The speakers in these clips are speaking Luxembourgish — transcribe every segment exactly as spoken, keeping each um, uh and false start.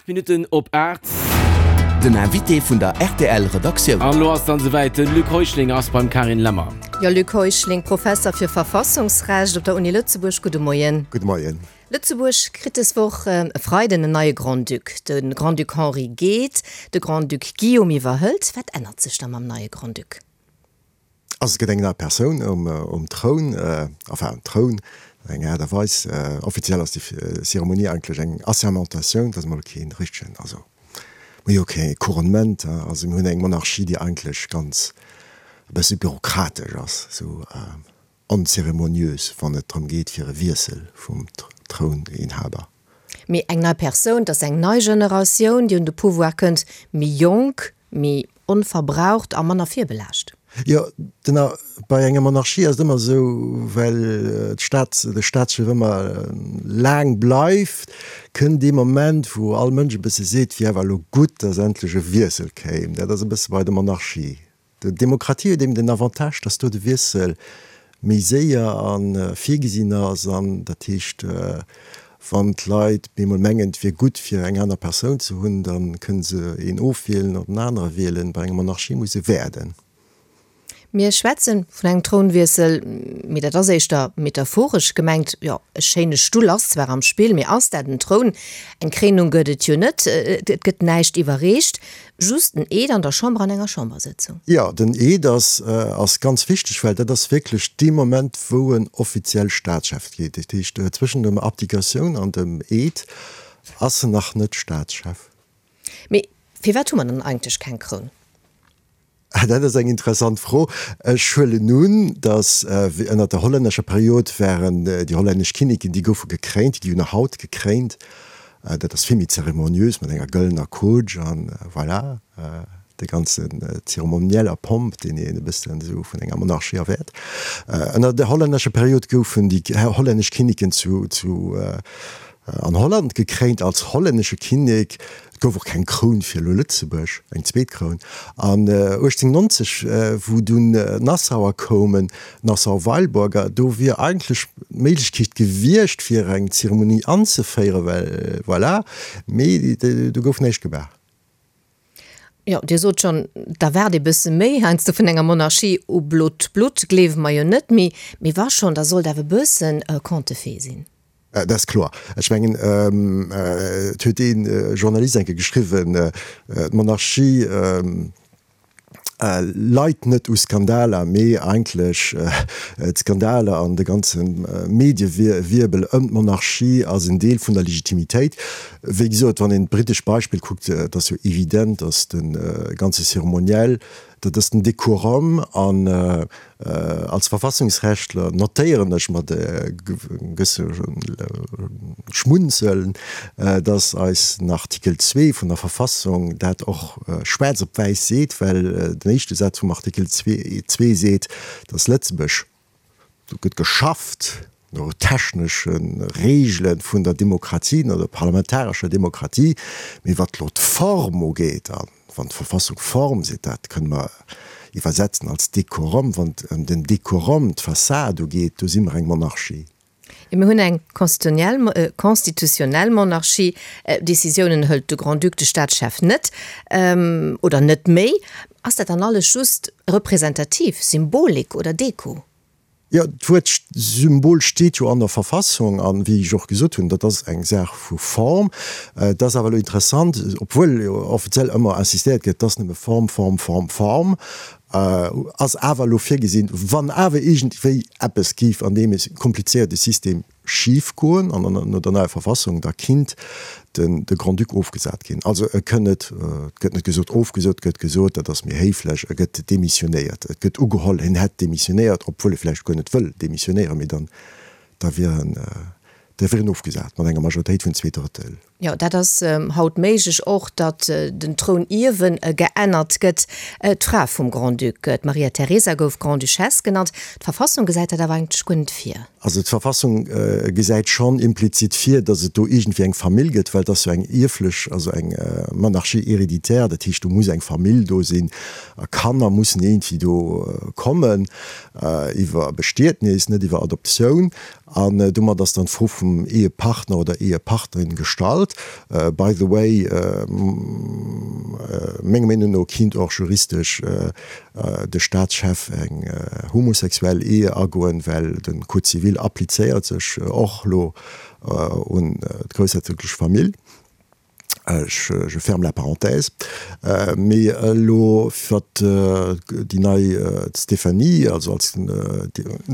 Minutten op aacht. Den Invité vun der rtl Redaktioun. An elo ass et dann esouwäit, de Luc Heuschling ass beim Carine Lemmer. Jo, Luc Heuschling, Professer fir Verfassungsrecht op der Uni Lëtzebuerg, gudde Moien. Gudde Moien. Lëtzebuerg kritt des Woch e Freiden en neie Grand-Duc. De Grand-Duc Henri geet, de Grand-Duc Guillaume iwwerhëlt. Wat ännert sech da mam neie Grand-Duc? Also et gëtt eng nei Persoun um Troun, enfin um Troun op eng Aart a Weis. Offiziell ass déi Zeremonie eigentlech eng Assermentatioun, dat ass emol kee richtegen, also mir hu jo kee Couronnement, also mir hunn eng Monarchie, déi eigentlech ganz e bësse bürokratesch ass, esou onzeremoniös, wann et drëm geet fir e Wiessel vum Trouninhaber. Mee eng nei Persoun, et ass eng nei Generatioun, déi un de Pouvoir kënnt, méi jonk, méi onverbraucht a manner virbelaascht. Jo, den, bei enger Monarchie ass et ëmmer esou, well d'Staat, de Staatschef ëmmer laang bleift, kënnt dee Moment, wou all Mënsch e bësse seet, wier awer elo gutt, datt endlech e Wiessel kéim. Dat ass e bësse bei der Monarchie. D'Demokratie huet eben den Avantage, datt do de Wiessel méi séier a virgesinn ass an dat heescht, wann d'Leit bemol mengen, et wier gutt fir eng aner Persoun ze hunn, da kënne se een ofwielen oder en anere wielen. Bei enger Monarchie muss e waarden. Mir schwätze vun engem Trounwiessel, mee dat ass éischter metaphoresch gemengt. Jo, e schéine Stull ass zwar am Spill, mee ass dat en Troun? Eng Kréinung gëtt et jo net, et gëtt näischt iwwerreecht. Just en Eed an der Chamber an enger Chambersëtzung. Jo, den Eed ass ass ganz wichteg, well dat ass wierklech dee Moment, wou en offiziell Staatschef gétt. Dat heescht, zwëschen der Abdikatioun an dem Eed ass en nach net Staatschef. Mee firwat hu mer dann eigentlech keng Kroun? Dat ass eng interessant Fro. Ech huelen un, datt ënner der hollännescher Period waren déi hollännesch Kinneken, déi goufe gekréint, déi gi jo nach haut gekréint. Dat ass vill méi zeremoniös mat enger gëllener Kutsch an voilà, de ganzen Zeremoniell a Pomp, deen een e bëssen esou vun enger Monarchie erwäert. Ënner der hollännescher Period goufen déi hollännesch Kinneken zu zu an Holland gekréint als hollännesche Kinnek. Et gouf och keng Kroun fir elo Lëtzebuerg, eng zweet Kroun. An uechtzénhunnertnonzeg, wou dunn d'Nassauer koumen, d'Nassau-Weilburger, do wier eigentlech d'Méiglechkeet gewiescht, fir eng Zeremonie anzeféieren, well voilà, mee do gouf näischt gemaach. Jo, Dir sot schonn, da waart ee bësse méi heiansdo vun enger Monarchie u blot Blutt gleewe mer jo net méi, mee wa schonn, da sollt awer e bëssen Conte de fées sinn. Dat ass kloer. Ech mengen, et huet ee Journalist eng Kéier geschriwwen, d'Monarchie leit net u Skandaler, mee eigentlech d'Skandaler an de ganze Mediewirbel ëm d'Monarchie ass en Deel vun der Legitimitéit. Wéi gesot, wann een d'brittesch Beispill kuckt, et ass jo evident, datt de ganze Zeremoniell, dat ass den Dekorum an als Verfassungsrechtler notéieren ech mat e gewësse Schmunzeln, datt eisen Artikel zwee vun der Verfassung dat och schwaarz op wäiss seet, well den éischte Saz vum Artikel zwee seet, datt Lëtzebuerg, do gëtt geschafft no technesche Reegele vun der Demokratie, no der parlamentarescher Demokratie, mee wat elo d'Form ugeet, a wann d'Verfassung Form seet, dat kënne mer iwwersetzen als Dekorum, wann et ëm den Dekorum, d'Fassad ugeet, do si mer eng Monarchie. Jo, mir hunn eng constitutionnel Monarchie. Decisiounen hëlt de Grand-Duc, de Staatschef net, oder net méi. Ass dat dann alles just representativ, Symbolik oder Deko? Jo, d'Wuert Symbol steet jo an der Verfassung an, wéi ech och gesot hunn, dat ass eng Saach vu Form. Et ass awer elo interessant, obwuel jo offiziell ëmmer insistéiert gëtt, et ass nëmme Form, Form, Form, Form, ass awer elo virgesinn, wann awer iergendwéi eppes géif an deem komplizéierte System schif goen an no der neier Verfassung, da kinnt den de Grand-Duc ofgesat ginn. Also e kënn net, et gëtt net gesot ofgesot, et gëtt gesot, dat ass méi héiflech, e gëtt demissionéiert. Et gëtt ugeholl, hien hätt demissionéiert, obwuel e vläicht guer net wëll demissionéieren, mee dann da wier en, da wier en ofgesat mat enger Majoritéit vun zwee Drëttel. Jo, dat ass haut méiglech, och datt den Trounierwen geännert gëtt. D'Fra vum Grand-Duc, d'Maria Teresa, gouf Grande-Duchesse genannt. D'Verfassung gesäit dat awer eigentlech guer net vir. Also d'Verfassung gesäit schonn implizit vir, datt et do iergendwéi eng Famill gëtt, well et ass jo eng ierflech, also eng Monarchie héréditaire, dat heescht do muss eng Famill do sinn a Kanner mussen iergendwéi do kommen iwwer Bestietnis, net iwwer Adoptioun. An domat ass dann d'Fro vum Ehepartner oder Ehepartnerin gestallt. Charlotte. By the way, menger Meenung no kinnt och juristesch de Staatschef eng homosexuell Ehe agoen, well de Code civil applizéiert sech och elo un d'groussherzoglech Famill. Ech, je ferme la parenthèse. Mee elo fir déi nei Stéphanie, also als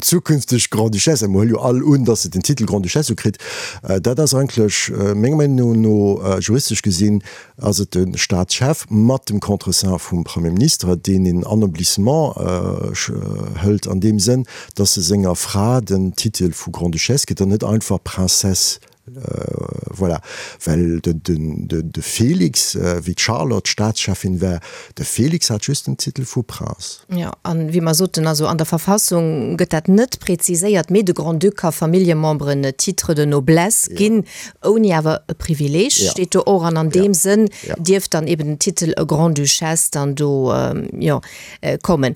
zukünfteg Grande-Duchesse, a mer huele jo all un, datt se den Titel Grande-Duchesse ukritt, dat ass eigentlech menger Meenung no, juristesch gesinn, ass et de Staatschef mat dem Contreseing vum Premier Ministre, deen een Anoblissement hëlt an deem Sënn, datt e senger Fra den Titel vu Grande-Duchesse gëtt an net einfach Princesse. Voilà, well de Félix, wéi d'Charlotte Staatscheffin war, de Félix hat just den Titel vu Prince. Jo, an wéi mer soten, also an der Verfassung gëtt dat net präziséiert, mee de Grand-Duc ka Familljememberen e Titre de noblesse ginn, ouni awer e Privileeg, steet do och. An an deem Sënn dierft dann eben den Titel Grande-Duchesse dann do, jo, kommen.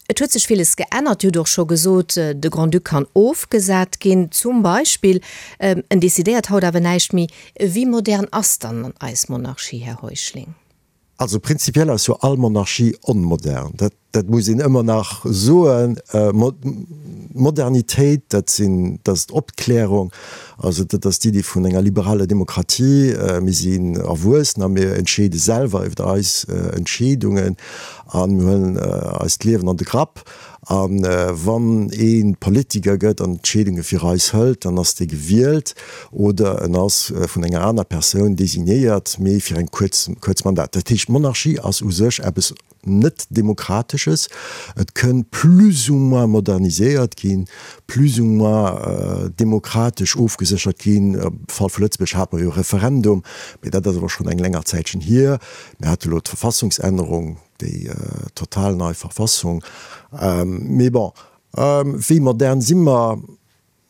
Et huet sech villes geännert. Dir hutt och scho gesot, de Grand-Duc kann ofgesat ginn, zum Beispill. En decidéiert haut awer näischt méi. Wéi modern ass dann eis Monarchie, Här Heuschling? Also prinzipiell ass jo all Monarchie onmodern. Dat, dat muss een ëmmer nach soen. Modernitéit, dat sinn, dat ass d'Opklärung, also dat ass d'Iddi vun enger liberaler Demokratie. Mir sinn erwuessen a mir entscheede selwer iwwer eis Entscheedungen a mir huelen eist Liewen an de Grapp. A wann ee Politiker gëtt an Entscheedunge fir eis hëlt, dann ass dee gewielt oder en ass vun enger aner Persoun designéiert, mee fir eng kuerz, kuerz Mandat. Dat heescht, d'Monarchie ass u sech eppes net Demokratesches. Et kënn plus ou moins moderniséiert ginn, plus ou moins demokratesch ofgeséchert ginn. Am Fall vu Lëtzebuerg hate mer jo e Referendum, mee dat ass awer schonn eng länger Zäitchen hier. Mir hate elo d'Verfassungsännerung, déi total nei Verfassung. Mee bon, wéi modern si mer?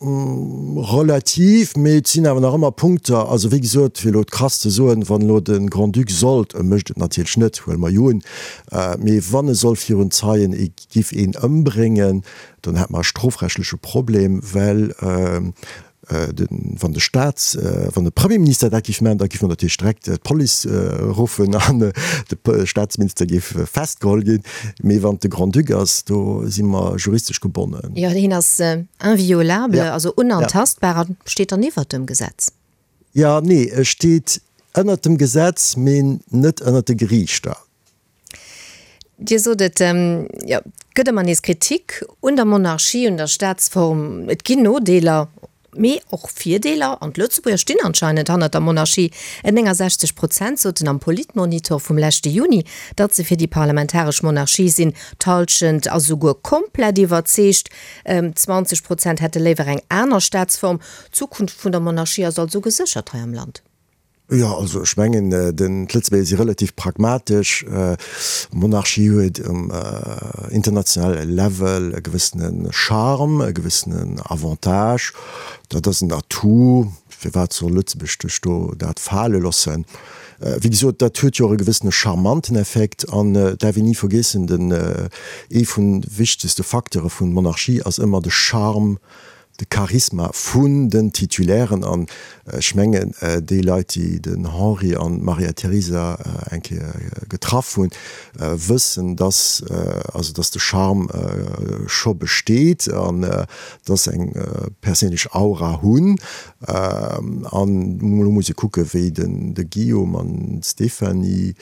Relativ, mee et sinn awer nach ëmmer Punkter. Also wéi gesot, fir elo krass ze soen, wann elo de Grand-Duc sollt, e mécht et natierlech net, huele mer jo un, mee wann e soll virun Zeien ee giff een ëmbréngen, dann hätt mer e strofrechtleche Problem, well wann de Staats, wann de Premierminister dat géif maachen, da géif mer natierlech direkt d'Police ruffen an de Staatsminister géif festgeholl ginn. Mee wann et de Grand-Duc ass, do si mer juristesch gebonnen. Jo, hien ass inviolable, also unantastbar a steet dann iwwert dem Gesetz. Jo, nee, e steet ënnert dem Gesetz, mee net ënnert de Geriichter. Dir sot et, jo, et gëtt ëmmer nees Kritik un der Monarchie, un der Staatsform. Et ginn Nodeeler, mee och Virdeeler. An d'Lëtzebuerger stinn anscheinend hannert der Monarchie. néngensechzeg Prozent soten am Politmonitor vum leschte Juni, datt se fir déi parlamentaresch Monarchie sinn. D'Hallschent ass esouguer komplett iwwerzeegt. Zwanzeg Prozent hätte léiwer eng aner Staatsform. D'Zukunft vun der Monarchie ass also geséchert hei am Land. Jo, also ech mengen, d'Lëtzebuerger si relativ pragmatesch. D'Monarchie huet um internationale Level e gewëssene Charme, e gewëssenen Avantage. Dat ass en Atout. Firwat soll Lëtzebuerg sech do dat fale loossen? Wéi gesot, dat huet jo och e gewëssene charmanten Effekt. An et däerf een ni vergiessen, den, ee vun wichtegste Facteure vun Monarchie ass ëmmer de Charme, de Charisma vun den Titulairen, an ech mengen déi Leit, déi den Henri an d'Maria Teresa eng Kéier getraff hunn, wëssen, dass also dass de Charme scho besteet an dass se eng perséinlech Aura hunn. An elo muss ee kucke wéi den de Guillaume an d'Stéphanie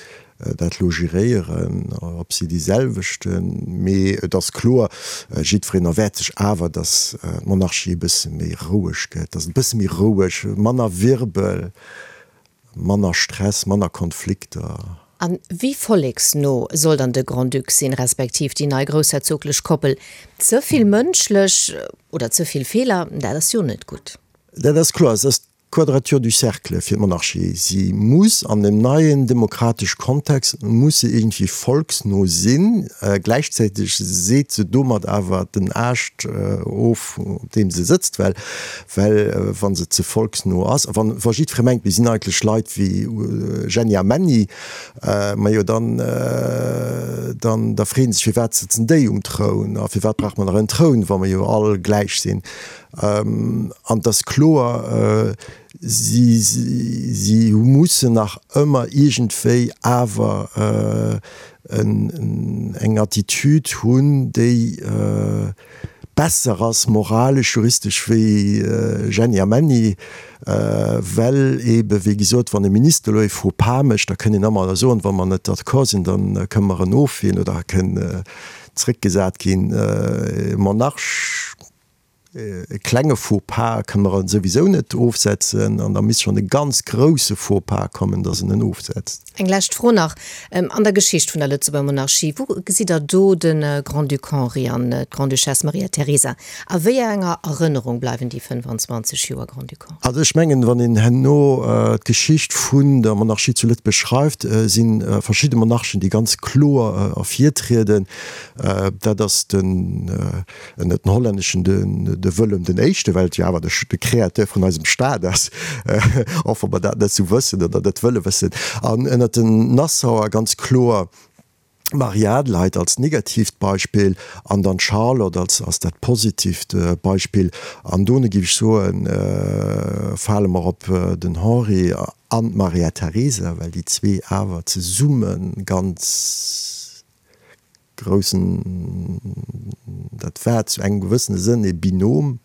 dat elo geréieren, ob si déi selwechten, mee et ass kloer, jiddwereen erwäert sech awer, datt d'Monarchie e bësse méi roueg gëtt, datt et e bësse méi roueg, manner Wirbel, manner Stress, manner Konflikter. A wéi volleksno soll dann de Grand-Duc sinn, respektiv déi nei groussherzoglech Koppel? Ze vill mënschlech oder ze vill Feeler, dat ass jo net gutt. Dat ass kloer, et ass D'Quadrature du cercle fir d'Monarchie, si muss an dem neien demokratesch Kontext muss se iergendwéi volksno sinn, gläichzäiteg seet se domat awer den Aascht of op deem se sëtzt, well well wa se ze volksno ass, a wann wa jiddweree mengt mir sinn eigentlech Leit wéi Jenny a Menny, majo dann dann da freeën sech firwat sëtzen déi um Troun a firwat brauche mer nach en Troun wa mer jo all gläich sinn. An et ass kloer, si, si mussen nach ëmmer iergendwéi awer eng Attitude hunn, déi besser ass moralesch, juristesch wéi Jenny a Menny, well eebe wéi gesot, wann e Minister elo e Faux pas mécht, da kënn een ëmmer soen, wa mer net d'accord sinn, da kënne mer en ofwielen oder e kënn zréckgesat ginn. E Monarch, e klenge Faux pas kënne mer en souwisou net ofsetzen an da misst schonn e ganz grouse Faux pas kommen, datt en en ofsetzt. Eng lescht Fro nach, An der Geschicht vun der Lëtzebuerger Monarchie, wou gesitt Der do de Grand-Duc Henri an d'Grande-Duchesse Maria Teresa? A wéi enger Erënnerung bleiwen déi fënnefanzwanzeg Joer Grand-Duc Henri? Also ech mengen, wann een herno d'Geschicht vun der Monarchie zu Lëtzebuerg schreift, si verschidde Monarchen, déi ganz kloer ervirtrieden. Dat ass den, net den hollänneschen, de Wëllem den Éischte, well et jo awer de Créateur vun eisem Staat ass, och wa mer dat net esou wëssen oder net wëlle wëssen. An ënnert den Nassauer ganz kloer d'Marie-Adelheid als negatiivt Beispill an dann d'Charlotte als, als dat positivt Beispill. An dono géif ech soen, fale mer op den Henri an d'Maria Teresa, well déi zwee awer zesumme ganz groussen, dat war zu engem gewëssene Sënn e Binôme.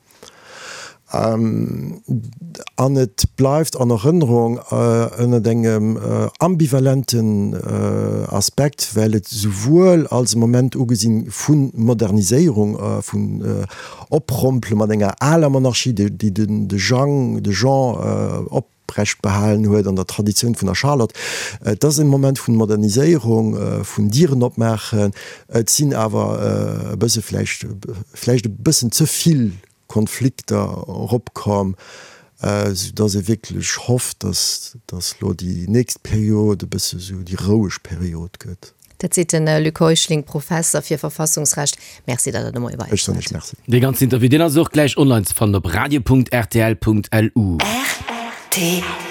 An et bleift an Erënnerung ënnert engem ambivalenten Aspekt, well et souwuel als e Moment ugesinn vu Moderniséierung, vun Oprompele mat enger aler Monarchie, déi de Jang, de Jean oprecht behalen huet an der Traditioun vun der Charlotte. Et ass e Moment vun Moderniséierung, vun Dieren opmaachen. Et sinn awer e bësse vläicht, vläicht e bëssen ze vill Konflikter eropkomm, sou dass ee wierklech hofft, dass dass elo déi nächst Period e bësse sou déi roueg Period gëtt. Dat seet de Luc Heuschling, Professer fir Verfassungsrecht. Merci, datt Der de Moie bei Ech eis soen waart. Iech Merci. Dee ganzen Interview, deen ass och gläich online ze fannen op radio.rtl.lu. Rtl.